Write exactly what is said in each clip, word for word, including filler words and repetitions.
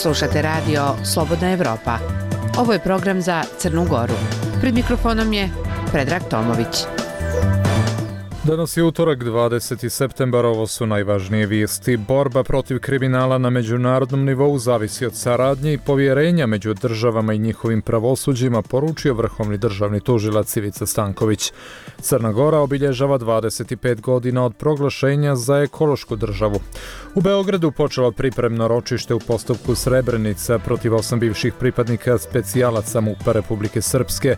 Slušate radio Slobodna Evropa. Ovo je program za Crnu Goru. Pred mikrofonom je Predrag Tomović. Danas je utorak, dvadeseti septembar, ovo su najvažnije vijesti. Borba protiv kriminala na međunarodnom nivou zavisi od saradnje i povjerenja među državama i njihovim pravosuđima, poručio vrhovni državni tužilac Ivica Stanković. Crna Gora obilježava dvadeset pet godina od proglašenja za ekološku državu. U Beogradu počelo pripremno ročište u postupku Srebrenica protiv osam bivših pripadnika specijalaca MUP-a Republike Srpske.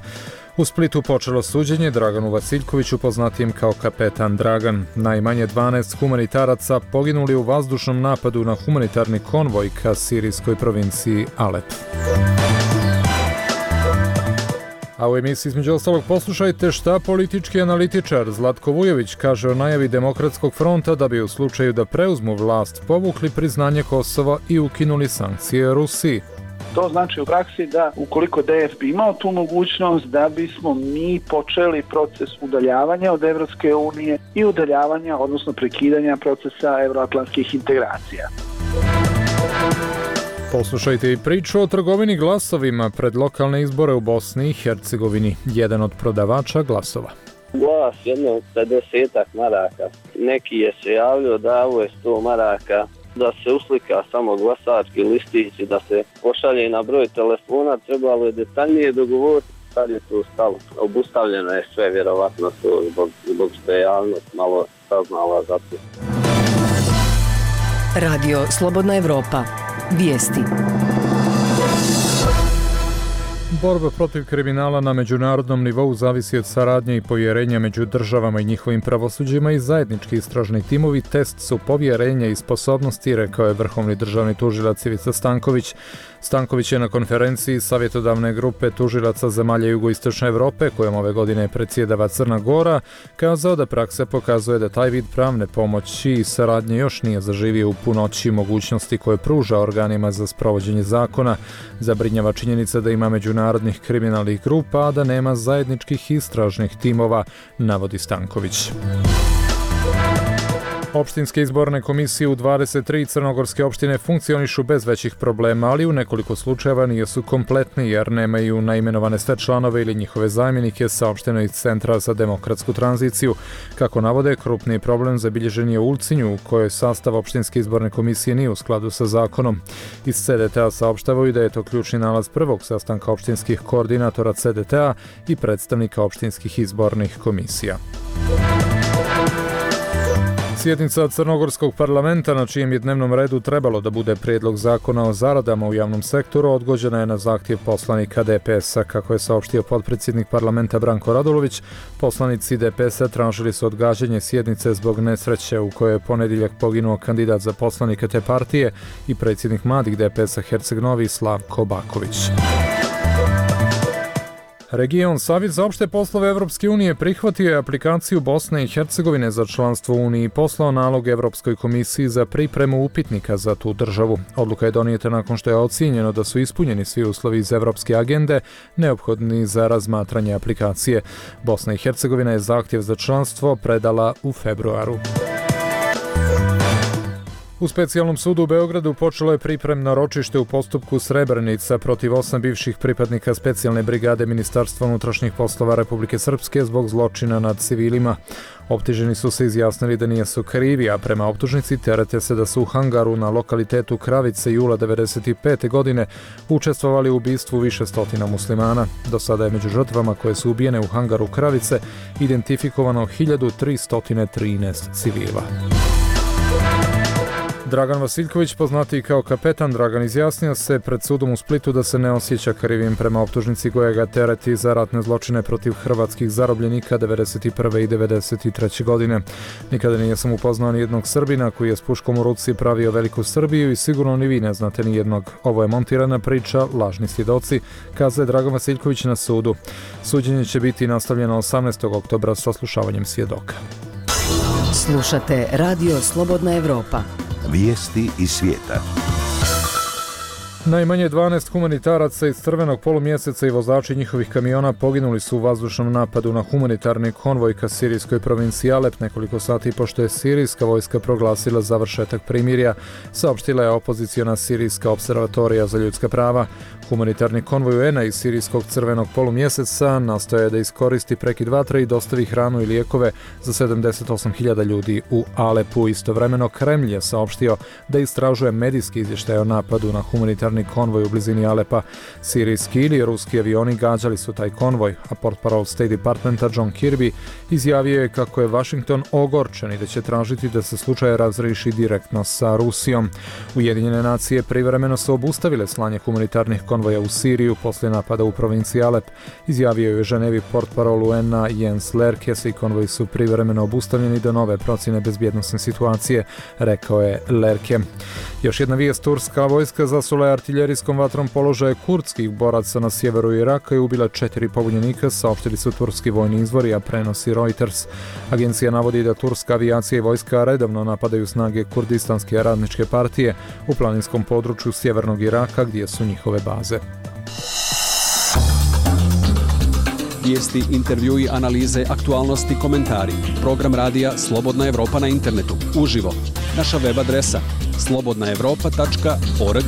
U Splitu počelo suđenje Draganu Vasiljkoviću, poznatijem kao kapetan Dragan. Najmanje dvanaest humanitaraca poginuli u vazdušnom napadu na humanitarni konvoj ka sirijskoj provinciji Alep. A u emisiji između ostalog poslušajte šta politički analitičar Zlatko Vujović kaže o najavi Demokratskog fronta da bi u slučaju da preuzmu vlast povukli priznanje Kosova i ukinuli sankcije Rusiji. To znači u praksi da ukoliko D F bi imao tu mogućnost da bismo mi počeli proces udaljavanja od Evropske unije i udaljavanja, odnosno prekidanja procesa euroatlantskih integracija. Poslušajte i priču o trgovini glasovima pred lokalne izbore u Bosni i Hercegovini. Jedan od prodavača glasova. Glas jedno pedesetak maraka. Neki je se javljao da ovo je sto maraka. Da se uslika samo glasački listić i da se pošalje na broj telefona, trebalo je detaljnije dogovoriti. Sad je to stalo. Obustavljeno je sve, vjerovatno to zbog, zbog što je javnost malo saznala za to. Radio Slobodna Evropa. Vijesti. Borba protiv kriminala na međunarodnom nivou zavisi od saradnje i povjerenja među državama i njihovim pravosuđima i zajednički istražni timovi test su povjerenja i sposobnosti, rekao je vrhovni državni tužilac Ivica Stanković. Stanković je na konferenciji savjetodavne grupe tužilaca zemalja jugoistočne Evrope, kojom ove godine predsjedava Crna Gora, kazao da praksa pokazuje da taj vid pravne pomoći i saradnje još nije zaživio u punoći mogućnosti koje pruža organima za sprovođenje zakona. Zabrinjava činjenica da ima međunarodnih kriminalnih grupa, a da nema zajedničkih istražnih timova, navodi Stanković. Opštinske izborne komisije u dvadeset tri crnogorske opštine funkcionišu bez većih problema, ali u nekoliko slučajeva nisu kompletni jer nemaju naimenovane sve članove ili njihove zamjenike, saopšteno iz Centra za demokratsku tranziciju. Kako navode, krupni problem zabilježen je u Ulcinju, u kojoj sastav opštinske izborne komisije nije u skladu sa zakonom. Iz C D T-a saopštavaju da je to ključni nalaz prvog sastanka opštinskih koordinatora C D T-a i predstavnika opštinskih izbornih komisija. Sjednica Crnogorskog parlamenta, na čijem je dnevnom redu trebalo da bude prijedlog zakona o zaradama u javnom sektoru, odgođena je na zahtjev poslanika D P S-a. Kako je saopštio potpredsjednik parlamenta Branko Radulović, poslanici D P S-a tražili su odgađanje sjednice zbog nesreće u kojoj je ponedjeljak poginuo kandidat za poslanike te partije i predsjednik mladih D P S-a Herceg Novi Slavko Baković. Region Savjet za opšte poslove Evropske unije prihvatio je aplikaciju Bosne i Hercegovine za članstvo u Uniji i poslao nalog Evropskoj komisiji za pripremu upitnika za tu državu. Odluka je donijeta nakon što je ocijenjeno da su ispunjeni svi uslovi iz Evropske agende neophodni za razmatranje aplikacije. Bosna i Hercegovina je zahtjev za članstvo predala u februaru. U specijalnom sudu u Beogradu počelo je pripremno ročište u postupku Srebrenica protiv osam bivših pripadnika specijalne brigade Ministarstva unutrašnjih poslova Republike Srpske zbog zločina nad civilima. Optuženi su se izjasnili da nisu krivi, a prema optužnici terete se da su u hangaru na lokalitetu Kravice jula devedeset pete godine učestvovali u ubistvu više stotina muslimana. Do sada je među žrtvama koje su ubijene u hangaru Kravice identifikovano hiljadu tristo trinaest civila. Dragan Vasiljković, poznatiji kao kapetan Dragan, izjasnio se pred sudom u Splitu da se ne osjeća krivim prema optužnici koja ga tereti za ratne zločine protiv hrvatskih zarobljenika devedeset prve i devedeset treće godine. Nikada nije sam upoznao ni jednog Srbina koji je s puškom u ruci pravio veliku Srbiju i sigurno ni vi ne znate ni jednog. Ovo je montirana priča, lažni svjedoci, kazuje Dragan Vasiljković na sudu. Suđenje će biti nastavljeno osamnaestog oktobra sa saslušavanjem svjedoka. Slušate Radio Slobodna Evropa. Vijesti iz svijeta. Najmanje dvanaest humanitaraca iz Crvenog polumjeseca i vozači njihovih kamiona poginuli su u vazdušnom napadu na humanitarni konvoj ka sirijskoj provinciji Alep nekoliko sati pošto je sirijska vojska proglasila završetak primirja, saopštila je opoziciona sirijska observatorija za ljudska prava. Humanitarni konvoj U N-a iz sirijskog Crvenog polumjeseca nastoje da iskoristi prekid vatre i dostavi hranu i lijekove za sedamdeset osam hiljada ljudi u Alepu. Istovremeno Kremlj je saopštio da istražuje medijski izvještaj o napadu na humanitarni konvoj u blizini Alepa. Sirijski ili ruski avioni gađali su taj konvoj, a portparol State Departmenta John Kirby izjavio je kako je Washington ogorčen i da će tražiti da se slučaj razriješi direktno sa Rusijom. Ujedinjene nacije privremeno su obustavile slanje humanitarnih konvoja u Siriju poslije napada u provinciji Alep. Izjavio je u Ženevi portparol U N-a Jens Lerke, svi konvoji su privremeno obustavljeni do nove procjene bezbjednosne situacije, rekao je Lerke. Još jedna vijest, turska vojska zasula je artiljerijskom vatrom položaje kurdskih boraca na sjeveru Iraka i ubila četiri pobunjenika, saopštili su turski vojni izvori, a prenosi Reuters. Agencija navodi da turska avijacija i vojska redovno napadaju snage Kurdistanske radničke partije u planinskom području sjevernog Iraka gdje su njihove baze. Vijesti, intervjui, analize, aktualnosti, komentari. Program radija Slobodna Evropa na internetu. Uživo. Naša web adresa slobodna evropa tačka org.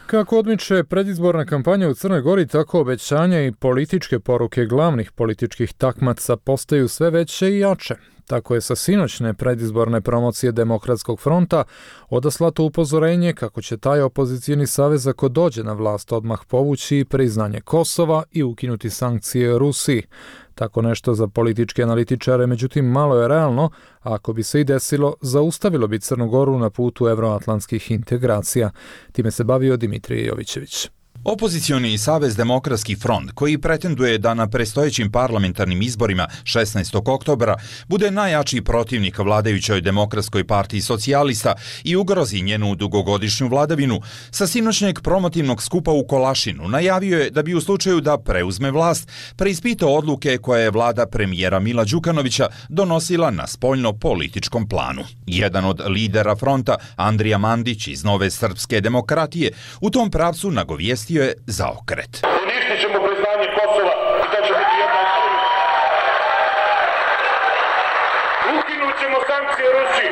Kako odmiče predizborna kampanja u Crnoj Gori, tako obećanja i političke poruke glavnih političkih takmaca postaju sve veće i jače. Tako je sa sinoćne predizborne promocije Demokratskog fronta odaslato upozorenje kako će taj opozicijni savez ako dođe na vlast odmah povući priznanje Kosova i ukinuti sankcije Rusiji. Tako nešto za političke analitičare, međutim malo je realno, a ako bi se i desilo, zaustavilo bi Crnu Goru na putu evroatlantskih integracija. Time se bavio Dimitrije Jovićević. Opozicioni savez Demokratski front, koji pretenduje da na predstojećim parlamentarnim izborima šesnaestog oktobra bude najjači protivnik vladajućoj Demokratskoj partiji socijalista i ugrozi njenu dugogodišnju vladavinu, sa sinoćnjeg promotivnog skupa u Kolašinu najavio je da bi u slučaju da preuzme vlast preispitao odluke koje je vlada premijera Mila Đukanovića donosila na spoljno-političkom planu. Jedan od lidera fronta, Andrija Mandić iz Nove srpske demokratije, u tom pravcu nagovijestio je zaokret. Uništit ćemo priznanje Kosova i to će biti jedna od prvih. Ukinut ćemo sankcije Rusiji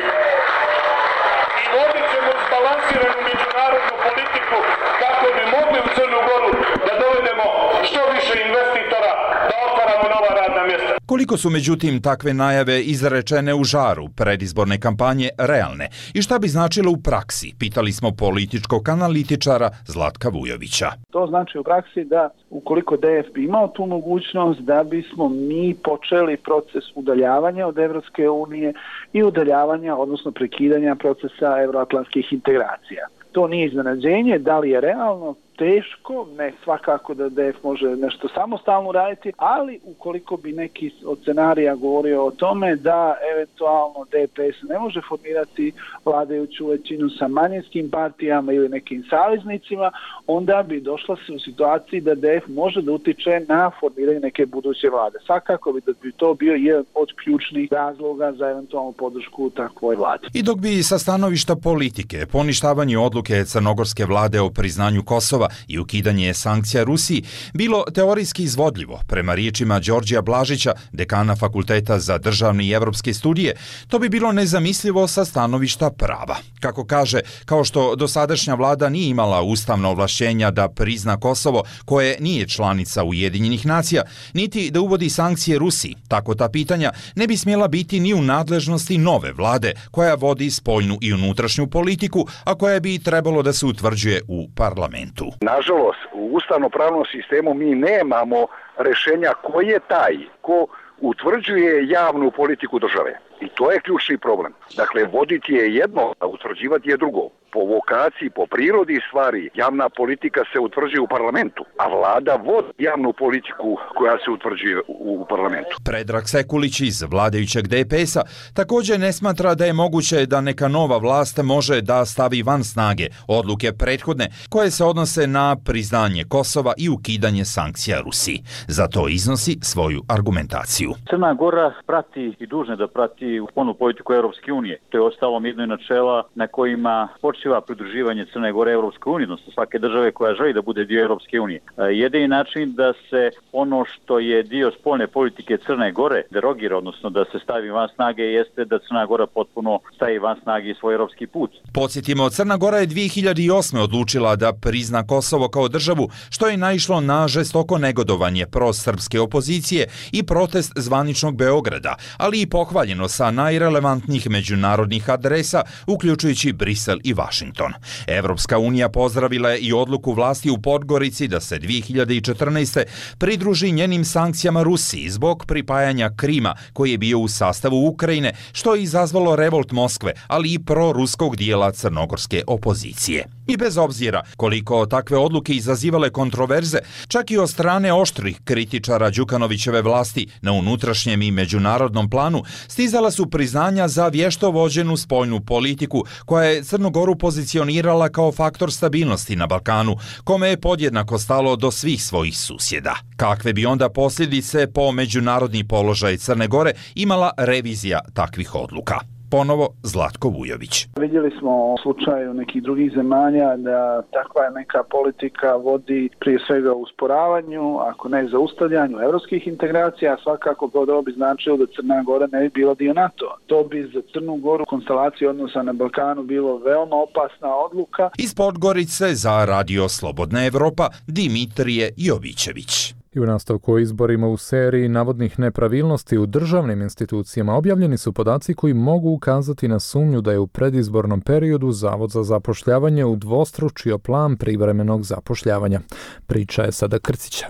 i vodit ćemo izbalansiranu međunarodnu politiku kako bi mogli u Crnu Goru da dovedemo što više investitora, da otvaramo nova radna mjesta. Koliko su međutim takve najave izrečene u žaru predizborne kampanje realne i šta bi značilo u praksi, pitali smo političkog analitičara Zlatka Vujovića. To znači u praksi da ukoliko D F bi imao tu mogućnost da bismo mi počeli proces udaljavanja od Evropske unije i udaljavanja, odnosno prekidanja procesa evroatlantskih integracija. To nije iznenađenje, da li je realno? Teško, ne svakako da D F može nešto samostalno raditi, ali ukoliko bi neki od scenarija govorio o tome da eventualno D P S ne može formirati vladajuću većinu sa manjinskim partijama ili nekim saveznicima, onda bi došla se u situaciji da D F može da utiče na formiranje neke buduće vlade. Svakako bi da bi to bio jedan od ključnih razloga za eventualnu podršku takvoj vladi. I dok bi sa stanovišta politike poništavanje odluke crnogorske vlade o priznanju Kosova i ukidanje sankcija Rusiji bilo teorijski izvodljivo, prema riječima Đorđija Blažića, dekana Fakulteta za državne i evropske studije, to bi bilo nezamislivo sa stanovišta prava. Kako kaže, kao što dosadašnja vlada nije imala ustavna ovlašćenja da prizna Kosovo, koje nije članica Ujedinjenih nacija, niti da uvodi sankcije Rusiji, tako ta pitanja ne bi smjela biti ni u nadležnosti nove vlade, koja vodi spoljnu i unutrašnju politiku, a koja bi trebalo da se utvrđuje u parlamentu. Nažalost, u ustavno-pravnom sistemu mi nemamo rešenja ko je taj, ko utvrđuje javnu politiku države. I to je ključni problem. Dakle, voditi je jedno, a utvrđivati je drugo. Po vokaciji, po prirodi stvari, javna politika se utvrđuje u parlamentu, a vlada vodi javnu politiku koja se utvrđuje u parlamentu. Predrag Sekulić iz vladajućeg D P S-a također ne smatra da je moguće da neka nova vlast može da stavi van snage odluke prethodne koje se odnose na priznanje Kosova i ukidanje sankcija Rusiji. Zato iznosi svoju argumentaciju. Crna Gora prati i dužna da prati spoljnu politiku Europske unije. To je ostalom jedno načela na kojima počinje završiva pridruživanje Crne Gore Europskoj uniji, odnosno svake države koja želi da bude dio Europske unije. Jedini način da se ono što je dio spoljne politike Crne Gore derogira, odnosno da se stavi van snage, jeste da Crna Gora potpuno stavi van snage svoj europski put. Podsjetimo, Crna Gora je dvije hiljade osme odlučila da prizna Kosovo kao državu, što je naišlo na žestoko negodovanje prosrpske opozicije i protest zvaničnog Beograda, ali i pohvaljeno sa najrelevantnijih međunarodnih adresa, uključujući Brisel i Vašington. Evropska unija pozdravila je i odluku vlasti u Podgorici da se dvije hiljade četrnaeste. pridruži njenim sankcijama Rusiji zbog pripajanja Krima, koji je bio u sastavu Ukrajine, što je izazvalo revolt Moskve, ali i proruskog dijela crnogorske opozicije. I bez obzira koliko takve odluke izazivale kontroverze, čak i od strane oštrih kritičara Đukanovićeve vlasti na unutrašnjem i međunarodnom planu, stizala su priznanja za vješto vođenu spoljnu politiku koja je Crnu Goru pozicionirala kao faktor stabilnosti na Balkanu, kome je podjednako stalo do svih svojih susjeda. Kakve bi onda posljedice po međunarodni položaj Crne Gore imala revizija takvih odluka? Ponovo Zlatko Vujović. Vidjeli smo u slučaju nekih drugih zemalja da takva neka politika vodi prije svega u usporavanju, ako ne zaustavljanju evropskih integracija, svakako to bi značilo da Crna Gora ne bi bila dio NATO. To bi za Crnu Goru konstelacije odnosa na Balkanu bilo veoma opasna odluka. Iz Podgorice za Radio Slobodna Evropa Dimitrije Jovićević. I u nastavku o izborima u seriji navodnih nepravilnosti u državnim institucijama objavljeni su podaci koji mogu ukazati na sumnju da je u predizbornom periodu Zavod za zapošljavanje udvostručio plan privremenog zapošljavanja. Priča je Sada Krcića.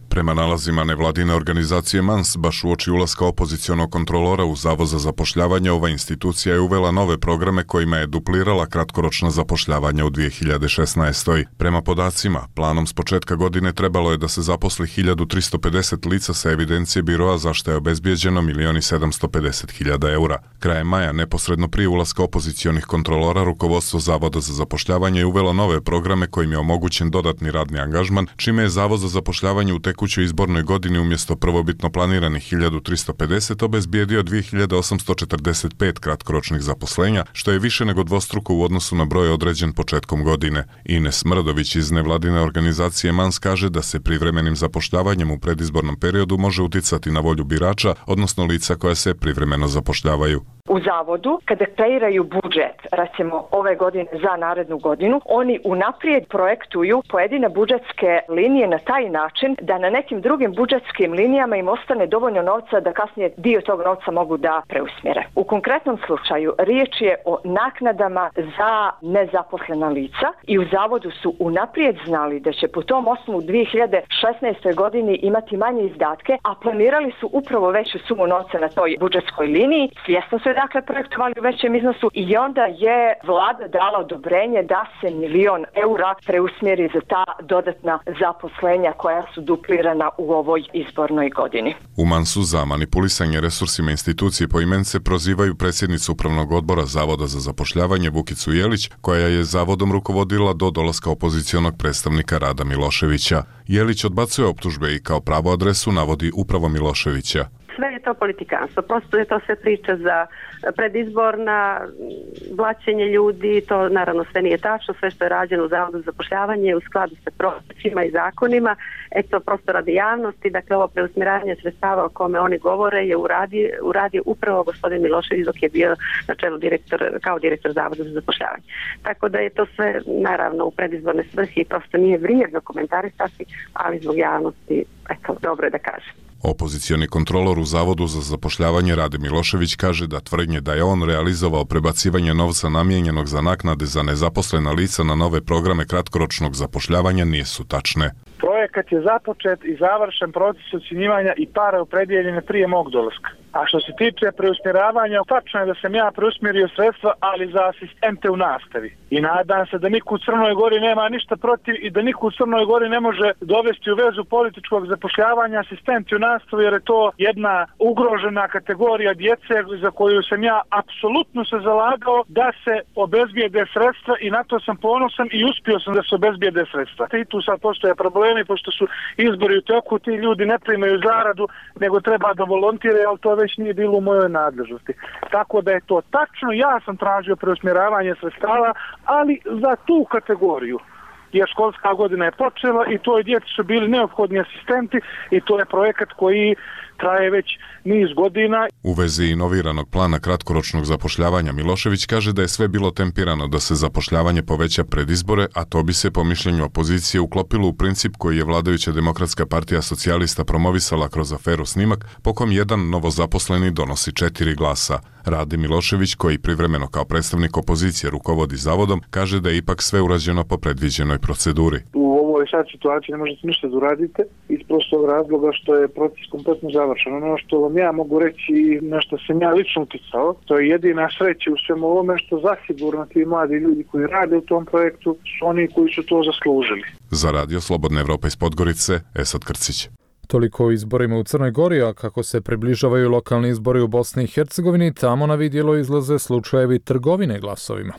Prema nalazima nevladine organizacije Mans, baš uoči ulaska opozicionog kontrolora u Zavod za zapošljavanje, ova institucija je uvela nove programe kojima je duplirala kratkoročna zapošljavanja u dvije hiljade šesnaestoj. Prema podacima, planom s početka godine trebalo je da se zaposli hiljadu tristo pedeset lica sa evidencije biroa, za što je obezbijeđeno milion sedamsto pedeset hiljada eura. Krajem maja, neposredno prije ulaska opozicionih kontrolora, rukovodstvo Zavoda za zapošljavanje je uvelo nove programe kojim je omogućen dodatni radni angažman, čime je Zavod za zapošljavanje u tekućoj izbornoj godini umjesto prvobitno planiranih hiljadu tristo pedeset obezbijedio dvije hiljade osamsto četrdeset pet kratkoročnih zaposlenja, što je više nego dvostruko u odnosu na broj određen početkom godine. Ines Mrdović iz nevladine organizacije Mans kaže da se privremenim zapošljavanjem u predizbornom periodu može uticati na volju birača, odnosno lica koja se privremeno zapošljavaju. U zavodu, kada kreiraju budžet, recimo ove godine za narednu godinu, oni unaprijed projektuju pojedine budžetske linije na taj način da na nekim drugim budžetskim linijama im ostane dovoljno novca da kasnije dio tog novca mogu da preusmjere. U konkretnom slučaju riječ je o naknadama za nezaposlena lica i u zavodu su unaprijed znali da će po tom osnovu u dvije hiljade šesnaestoj godini imati manje izdatke, a planirali su upravo veću sumu novca na toj budžetskoj liniji. Svjesno su dakle projektovali u većem iznosu i onda je vlada dala odobrenje da se milion eura preusmjeri za ta dodatna zaposlenja koja su duplirana u ovoj izbornoj godini. U Mansu za manipulisanje resursima institucije poimence prozivaju predsjednicu Upravnog odbora Zavoda za zapošljavanje Vukicu Jelić, koja je zavodom rukovodila do dolaska opozicionog predstavnika Rada Miloševića. Jelić odbacuje optužbe i kao pravu adresu navodi upravo Miloševića. Sve je to politikanstvo, prosto je to sve priča za predizborna, blaćenje ljudi, to naravno sve nije tačno, sve što je rađeno u Zavodu za zapošljavanje u skladu sa propisima i zakonima, eto prosto radi javnosti, dakle ovo preusmjeravanje sredstava o kome oni govore je uradio, uradio upravo gospodin Milošević dok je bio na čelu direktor, kao direktor Zavoda za zapošljavanje. Tako da je to sve naravno u predizborne svrhe i prosto nije vrijedno komentarisati, ali zbog javnosti, eto, dobro je da kažem. Opozicioni kontrolor u Zavodu za zapošljavanje Rade Milošević kaže da tvrdnje da je on realizovao prebacivanje novca namijenjenog za naknade za nezaposlena lica na nove programe kratkoročnog zapošljavanja nisu tačne. Projekat je započet i završen proces ocjenjivanja i pare opredijeljene prije mog dolaska. A što se tiče preusmjeravanja, tačno je da sam ja preusmjerio sredstva, ali za asistente u nastavi. I nadam se da niko u Crnoj Gori nema ništa protiv i da niko u Crnoj Gori ne može dovesti u vezu političkog zapošljavanja asistenti u nastavi, jer je to jedna ugrožena kategorija djece za koju sam ja apsolutno se zalagao da se obezbijede sredstva i na to sam ponosan i uspio sam da se obezbijede sredstva. I tu sad postoje problemi, pošto su izbori u toku, ti ljudi ne primaju zaradu, nego treba da volontiraju, ali to već nije bilo u mojoj nadležnosti. Tako da je to tačno, ja sam tražio preusmjeravanje sredstava, ali za tu kategoriju. Jer školska godina je počela i toj djeci su bili neophodni asistenti i to je projekat koji traje već niz godina. U vezi inoviranog plana kratkoročnog zapošljavanja Milošević kaže da je sve bilo tempirano da se zapošljavanje poveća pred izbore, a to bi se po mišljenju opozicije uklopilo u princip koji je vladajuća Demokratska partija socijalista promovisala kroz aferu Snimak, po kom jedan novozaposleni donosi četiri glasa. Rade Milošević, koji privremeno kao predstavnik opozicije rukovodi zavodom, kaže da je ipak sve urađeno po predviđenoj proceduri. U ovoj sad situaciji ne možete ništa da uradite iz prostog razloga što je proces kompletno završen. Ono što vam ja mogu reći i na što sam ja lično uticao, to je jedina sreća u svemu ovome što zasigurno ti mladi ljudi koji rade u tom projektu su oni koji su to zaslužili. Za Radio Slobodna Evropa iz Podgorice, Esad Krcić. Toliko o izborima u Crnoj Gori, a kako se približavaju lokalni izbori u Bosni i Hercegovini, tamo na vidjelo izlaze slučajevi trgovine glasovima.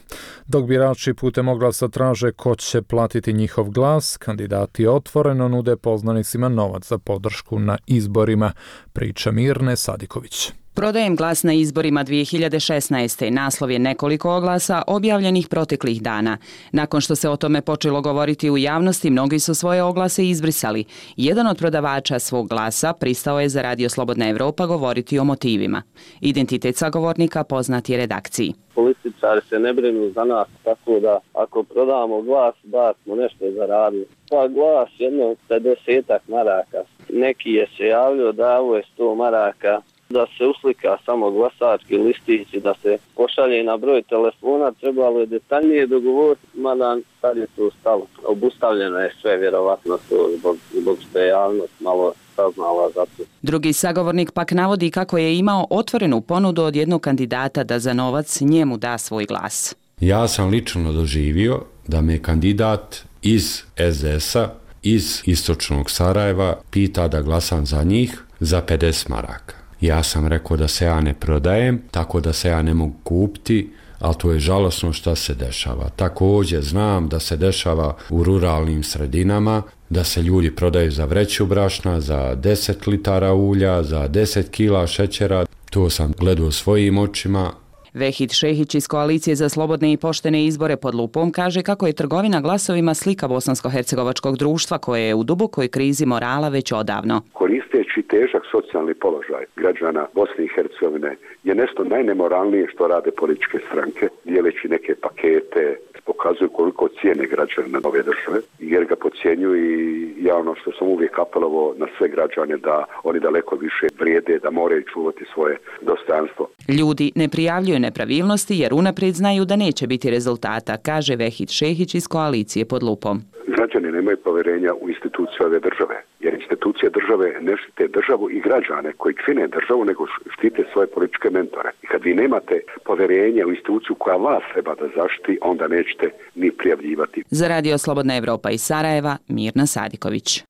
Dok birači putem oglasa traže ko će platiti njihov glas, kandidati otvoreno nude poznanicima novac za podršku na izborima, priča Mirne Sadiković. Prodajem glas na izborima dvije hiljade šesnaeste. Naslov je nekoliko oglasa objavljenih proteklih dana. Nakon što se o tome počelo govoriti u javnosti, mnogi su svoje oglase izbrisali. Jedan od prodavača svog glasa pristao je za Radio Slobodna Evropa govoriti o motivima. Identitet sagovornika poznat je redakciji. Političari se ne brinu za nas, tako da ako prodamo glas, da smo nešto zaradili. Pa glas jedno pedesetak maraka. Neki je se javljao da ovo je sto maraka. Da se uslika samo glasački listić i da se pošalje na broj telefona, trebalo je detaljnije dogovoriti, mada sad je to stalo. Obustavljeno je sve, vjerovatno to zbog, zbog što je javnost malo saznala za to. Drugi sagovornik pak navodi kako je imao otvorenu ponudu od jednog kandidata da za novac njemu da svoj glas. Ja sam lično doživio da me kandidat iz es de es-a, iz istočnog Sarajeva, pita da glasam za njih za pedeset maraka. Ja sam rekao da se ja ne prodajem, tako da se ja ne mogu kupiti, ali to je žalosno što se dešava. Također znam da se dešava u ruralnim sredinama, da se ljudi prodaju za vreću brašna, za deset litara ulja, za deset kila šećera. To sam gledao svojim očima. Vehid Šehić iz Koalicije za slobodne i poštene izbore pod lupom kaže kako je trgovina glasovima slika bosansko-hercegovačkog društva koje je u dubokoj krizi morala već odavno. Koristeći težak socijalni položaj građana Bosne i Hercegovine je nešto najnemoralnije što rade političke stranke, dijeleći neke pakete, pokazuju koliko cijene građana ove države, jer ga podcjenjuju i ja ono što sam uvijek apelovao na sve građane da oni daleko više vrijede, da moraju čuvati svoje dostojanstvo. Ljudi ne prijavljuju nepravilnosti jer unaprijed znaju da neće biti rezultata, kaže Vehid Šehić iz Koalicije pod lupom. Građani nemaju povjerenja u institucije ove države, jer institucije države ne štite državu i građane koji čine državu, nego štite svoje političke mentore. I kad vi nemate povjerenja u instituciju koja vas treba da zaštiti, onda nećete ni prijavljivati. Za Radio Slobodna Evropa iz Sarajeva, Mirna Sadiković.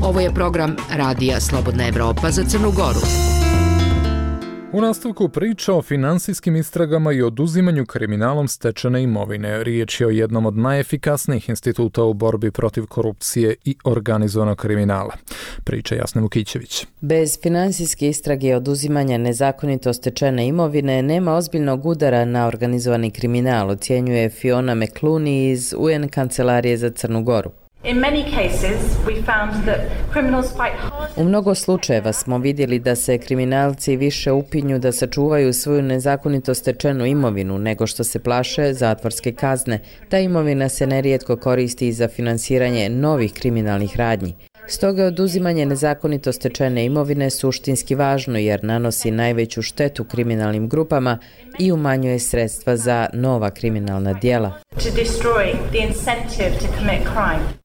Ovo je program Radija Slobodna Evropa za Crnu Goru. U nastavku priča o finansijskim istragama i oduzimanju kriminalom stečene imovine. Riječ je o jednom od najefikasnijih instituta u borbi protiv korupcije i organizovanog kriminala. Priča Jasna Vukićević. Bez finansijske istrage i oduzimanja nezakonito stečene imovine nema ozbiljnog udara na organizovani kriminal, ocjenjuje Fiona McClooney iz U N Kancelarije za Crnu Goru. U mnogo slučajeva smo vidjeli da se kriminalci više upinju da sačuvaju svoju nezakonito stečenu imovinu nego što se plaše zatvorske kazne. Ta imovina se nerijetko koristi za finansiranje novih kriminalnih radnji. Stoga je oduzimanje nezakonito stečene imovine suštinski važno jer nanosi najveću štetu kriminalnim grupama i umanjuje sredstva za nova kriminalna djela.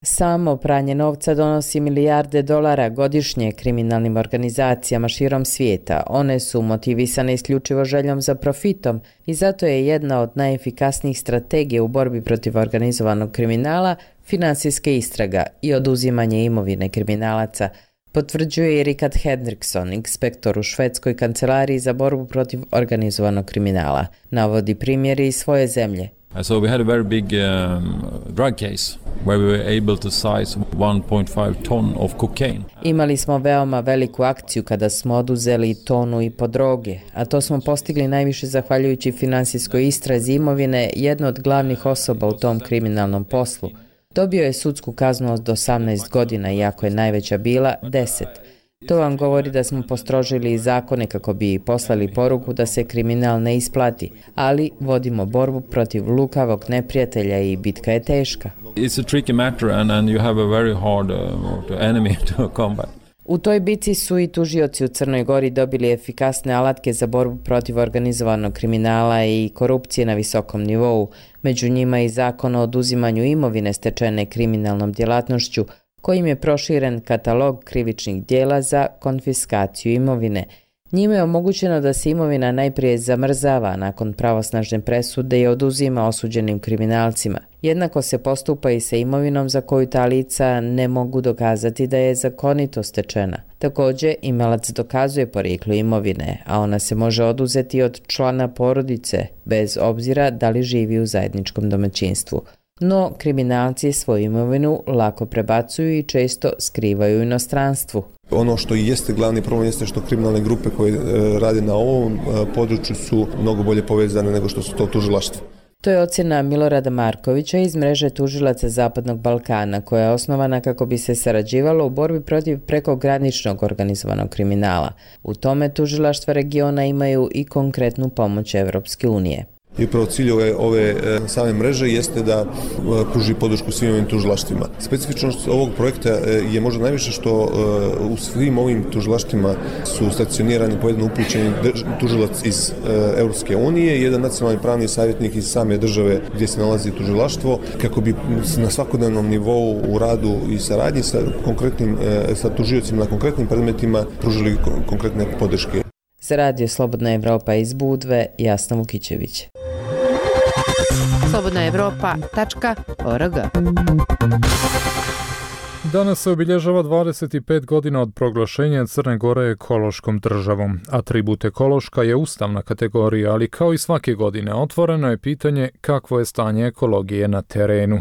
Samo pranje novca donosi milijarde dolara godišnje kriminalnim organizacijama širom svijeta. One su motivisane isključivo željom za profitom i zato je jedna od najefikasnijih strategija u borbi protiv organizovanog kriminala finansijska istraga i oduzimanje imovine kriminalaca, potvrđuje i Rikard Henriksson, inspektor u švedskoj kancelariji za borbu protiv organizovanog kriminala. Navodi primjeri iz svoje zemlje. So we had a very big um, drug case where we were able to size one point five ton of cocaine. Imali smo veoma veliku akciju kada smo oduzeli tonu i po droge, a to smo postigli najviše zahvaljujući finansijskoj istrazi imovine jedne od glavnih osoba u tom kriminalnom poslu. Dobio je sudsku kaznu od osamnaest godina, iako je najveća bila deset. To vam govori da smo postrožili zakone kako bi poslali poruku da se kriminal ne isplati, ali vodimo borbu protiv lukavog neprijatelja i bitka je teška. It's a tricky matter and, and you have a very hard uh, enemy to combat. U toj bici su i tužioci u Crnoj Gori dobili efikasne alatke za borbu protiv organizovanog kriminala i korupcije na visokom nivou, među njima i zakon o oduzimanju imovine stečene kriminalnom djelatnošću, kojim je proširen katalog krivičnih dijela za konfiskaciju imovine. Njime je omogućeno da se imovina najprije zamrzava, nakon pravosnažne presude i oduzima osuđenim kriminalcima. Jednako se postupa i sa imovinom za koju ta lica ne mogu dokazati da je zakonito stečena. Također, imalac dokazuje porijeklo imovine, a ona se može oduzeti od člana porodice, bez obzira da li živi u zajedničkom domaćinstvu. No, kriminalci svoju imovinu lako prebacuju i često skrivaju u inostranstvu. Ono što i jeste glavni problem jeste što kriminalne grupe koje e, rade na ovom e, području su mnogo bolje povezane nego što su to tužilaštvo. To je ocjena Milorada Markovića iz mreže tužilaca Zapadnog Balkana, koja je osnovana kako bi se sarađivalo u borbi protiv prekograničnog organizovanog kriminala. U tome tužilaštva regiona imaju i konkretnu pomoć Evropske unije. I upravo cilj ove, ove same mreže jeste da pruži podršku svim ovim tužilaštvima. Specifičnost ovog projekta je možda najviše što u svim ovim tužilaštvima su stacionirani po jedan upućeni tužilac iz Europske unije i jedan nacionalni pravni savjetnik iz same države gdje se nalazi tužilaštvo, kako bi na svakodnevnom nivou u radu i saradnji sa konkretnim sa tužiocima na konkretnim predmetima pružili konkretne podrške. Za Radio Slobodna Evropa iz Budve, Jasna Vukićević. slobodna evropa tačka org. Danas se obilježava dvadeset pet godina od proglašenja Crne Gore ekološkom državom. Atribut ekološka je ustavna kategorija, ali kao i svake godine otvoreno je pitanje kakvo je stanje ekologije na terenu.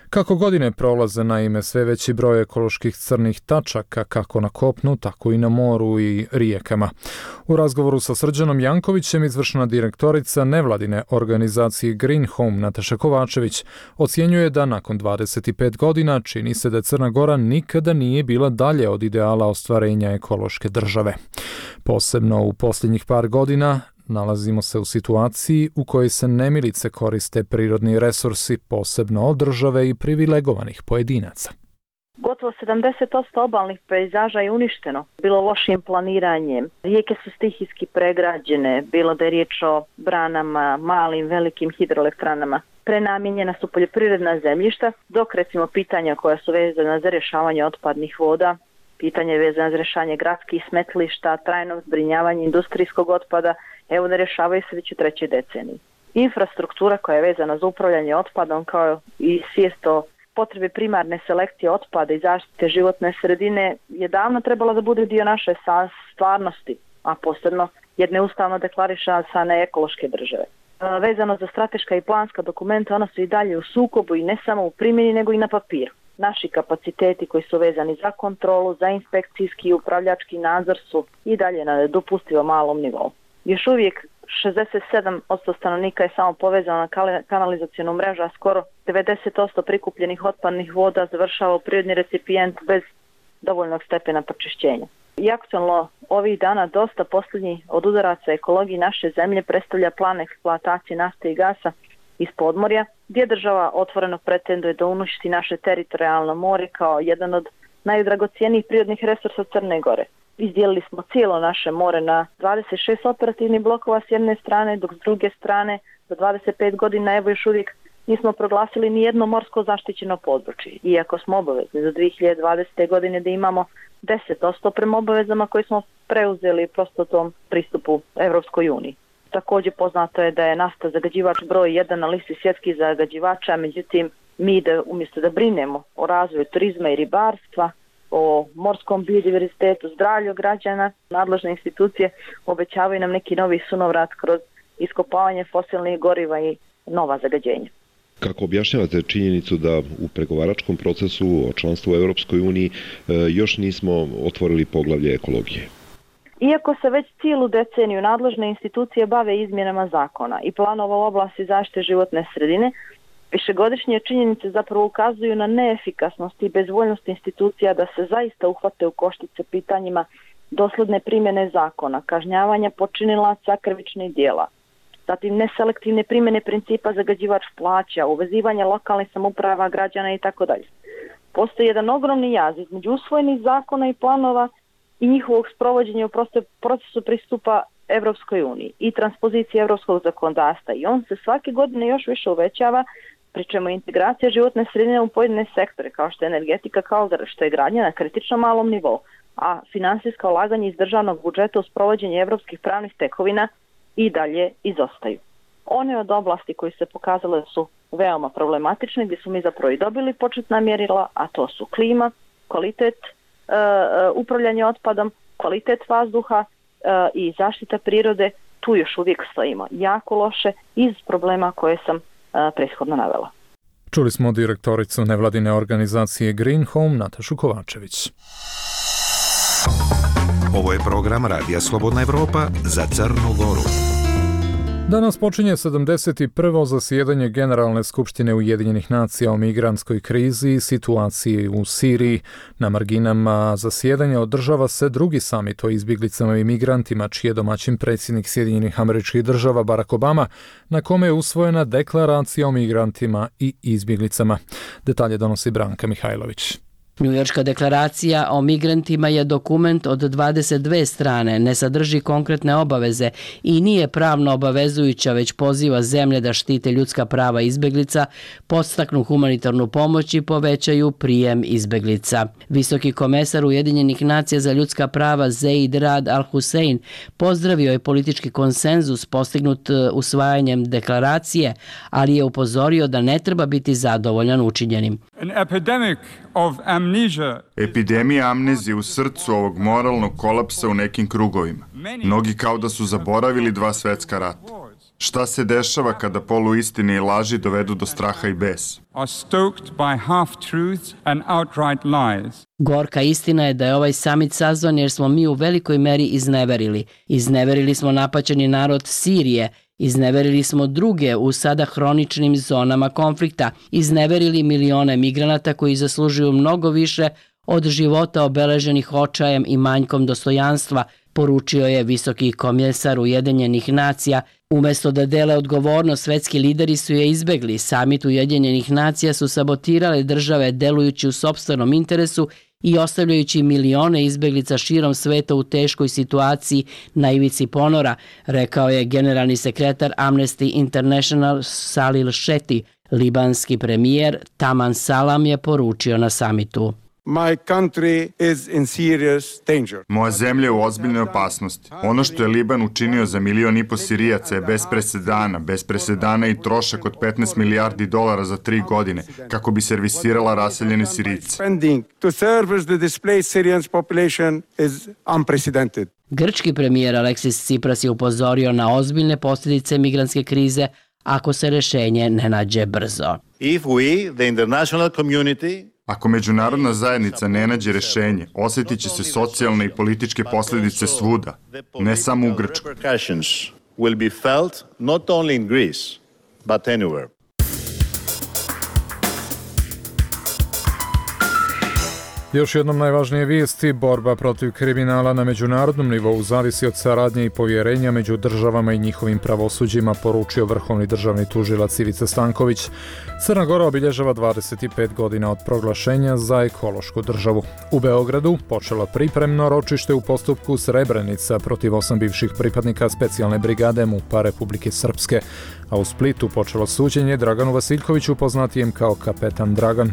Kako godine prolaze, naime, sve veći broj ekoloških crnih tačaka, kako na kopnu, tako i na moru i rijekama. U razgovoru sa Srđanom Jankovićem, izvršna direktorica nevladine organizacije Green Home Nataša Kovačević ocjenjuje da nakon dvadeset pet godina čini se da Crna Gora nikada nije bila dalje od ideala ostvarenja ekološke države. Posebno u posljednjih par godina nalazimo se u situaciji u kojoj se nemilice koriste prirodni resursi, posebno od države i privilegovanih pojedinaca. Gotovo sedamdeset posto obalnih pejzaža je uništeno, bilo lošim planiranjem. Rijeke su stihijski pregrađene, bilo da je riječ o branama, malim, velikim hidroelektranama. Prenamijenjena su poljoprivredna zemljišta, dok recimo pitanja koja su vezana za rješavanje otpadnih voda, pitanje vezano za rješavanje gradskih smetlišta, trajnog zbrinjavanja industrijskog otpada, evo ne rješavaju se već u trećoj deceniji. Infrastruktura koja je vezana za upravljanje otpadom, kao i svijest o potrebe primarne selekcije otpada i zaštite životne sredine, je davno trebala da bude dio naše stvarnosti, a posebno jedne ustavno deklarisane ekološke države. Vezano za strateška i planska dokumenta, ona su i dalje u sukobu i ne samo u primjeni, nego i na papiru. Naši kapaciteti koji su vezani za kontrolu, za inspekcijski i upravljački nadzor su i dalje na nedopustivo malom nivou. Još uvijek šezdeset sedam posto stanovnika je samo povezano na kanalizacijonu mrežu, a skoro devedeset posto prikupljenih otpadnih voda završava u prirodni recipijent bez dovoljnog stepena pročišćenja. I aktualno ovih dana dosta posljednji od udaraca ekologiji naše zemlje predstavlja plan eksploatacije nafte i gasa iz podmorja, gdje država otvoreno pretenduje da uništi naše teritorijalno more kao jedan od najdragocijenijih prirodnih resursa Crne Gore. Izdijelili smo cijelo naše more na dvadeset šest operativnih blokova s jedne strane, dok s druge strane za dvadeset pet godina evo još uvijek nismo proglasili ni jedno morsko zaštićeno područje. Iako smo obavezni za dvije hiljade dvadesete. godine da imamo deset posto prema obavezama koje smo preuzeli prosto tom pristupu Evropskoj uniji. Također poznato je da je nafta zagađivač broj jedan na listi svjetskih zagađivača, međutim mi da umjesto da brinemo o razvoju turizma i ribarstva, o morskom biodiverzitetu, zdravlju građana, nadležne institucije obećavaju nam neki novi sunovrat kroz iskopavanje fosilnih goriva i nova zagađenja. Kako objašnjavate činjenicu da u pregovaračkom procesu o članstvu u Europskoj uniji još nismo otvorili poglavlje ekologije? Iako se već cijelu deceniju nadležne institucije bave izmjenama zakona i planova u oblasti zaštite životne sredine, višegodišnje činjenice zapravo ukazuju na neefikasnost i bezvoljnost institucija da se zaista uhvate u koštice pitanjima dosledne primjene zakona, kažnjavanja počinilaca krivičnih djela, zatim neselektivne primjene principa zagađivač plaća, uvezivanja lokalnih samouprava, građana i tako dalje. Postoji jedan ogromni jaz između usvojenih zakona i planova i njihovog sprovođenja u procesu pristupa Evropskoj uniji i transpozicije evropskog zakonodavstva i on se svake godine još više uvećava, pri čemu integracija životne sredine u pojedine sektore kao što je energetika, kao što je gradnja na kritično malom nivou, a finansijska ulaganja iz državnog budžeta u sprovođenje evropskih pravnih tekovina i dalje izostaju. One od oblasti koji se pokazale su veoma problematične, gdje su mi zapravo i dobili početna mjerila, a to su klima, kvalitet uh, upravljanje otpadom, kvalitet vazduha uh, i zaštita prirode, tu još uvijek stojimo jako loše iz problema koje sam uh, prethodno navela. Čuli smo direktoricu nevladine organizacije Green Home Natašu Kovačević. Ovo je program Radija Slobodna Evropa za Crnu Goru. Danas počinje sedamdeset prvo zasjedanje Generalne skupštine Ujedinjenih nacija o migrantskoj krizi i situaciji u Siriji. Na marginama zasjedanja održava se drugi samit o izbjeglicama i migrantima, čiji je domaćin predsjednik Sjedinjenih Američkih Država Barack Obama, na kome je usvojena deklaracija o migrantima i izbjeglicama. Detalje donosi Branka Mihajlović. Njujorška deklaracija o migrantima je dokument od dvadeset dvije strane, ne sadrži konkretne obaveze i nije pravno obavezujuća, već poziva zemlje da štite ljudska prava izbjeglica, podstaknu humanitarnu pomoć i povećaju prijem izbjeglica. Visoki komesar Ujedinjenih nacija za ljudska prava Zeid Rad Al-Hussein pozdravio je politički konsenzus postignut usvajanjem deklaracije, ali je upozorio da ne treba biti zadovoljan učinjenim. An epidemic of amnesia. Epidemija amnezije u srcu ovog moralnog kolapsa u nekim krugovima. Mnogi kao da su zaboravili dva svetska rata. Šta se dešava kada poluistine i laži dovedu do straha i besa? Are stoked by half-truths and outright lies. Gorka istina je da je ovaj samit sazvan jer smo mi u velikoj meri izneverili. Izneverili smo napaćeni narod Sirije, izneverili smo druge u sada hroničnim zonama konflikta, izneverili milione migranata koji zaslužuju mnogo više od života obeleženih očajem i manjkom dostojanstva, poručio je visoki komesar Ujedinjenih nacija. Umjesto da dele odgovornost, svetski lideri su je izbegli. Samit Ujedinjenih nacija su sabotirale države delujući u sopstvenom interesu i ostavljajući milione izbeglica širom sveta u teškoj situaciji na ivici ponora, rekao je generalni sekretar Amnesty International Salil Shetty. Libanski premijer Taman Salam je poručio na samitu. My country is in serious danger. Moja zemlja je u ozbiljnoj opasnosti. Ono što je Liban učinio za milion i po Sirijaca je bez presedana, bez presedana i trošak od petnaest milijardi dolara za tri godine, kako bi servisirala raseljene Sirijce. Spending to service the displaced Syrian population is unprecedented. Grčki premijer Aleksis Tsipras je upozorio na ozbiljne posljedice migrantske krize ako se rješenje ne nađe brzo. If we, the international community, Ako međunarodna zajednica ne nađe rješenje, osjetit će se socijalne i političke posljedice svuda, ne samo u Grčkoj. Još jednom najvažnije vijesti, borba protiv kriminala na međunarodnom nivou zavisi od saradnje i povjerenja među državama i njihovim pravosuđima, poručio vrhovni državni tužilac Ivica Stanković. Crna Gora obilježava dvadeset pet godina od proglašenja za ekološku državu. U Beogradu počelo pripremno ročište u postupku Srebrenica protiv osam bivših pripadnika specijalne brigade MUP-a Republike Srpske, a u Splitu počelo suđenje Draganu Vasiljkoviću, poznatijem kao Kapetan Dragan.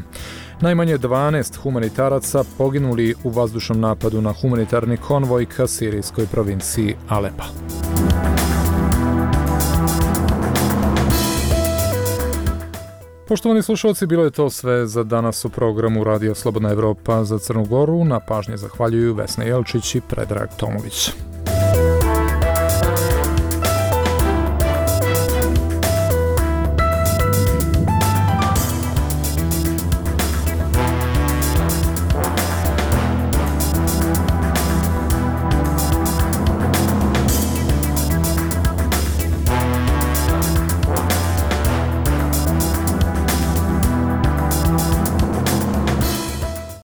Najmanje dvanaest humanitaraca poginuli u vazdušnom napadu na humanitarni konvoj ka sirijskoj provinciji Alepa. Poštovani slušalci, bilo je to sve za danas u programu Radio Slobodna Evropa za Crnu Goru. Na pažnji zahvaljuju Vesna Jelčić i Predrag Tomović.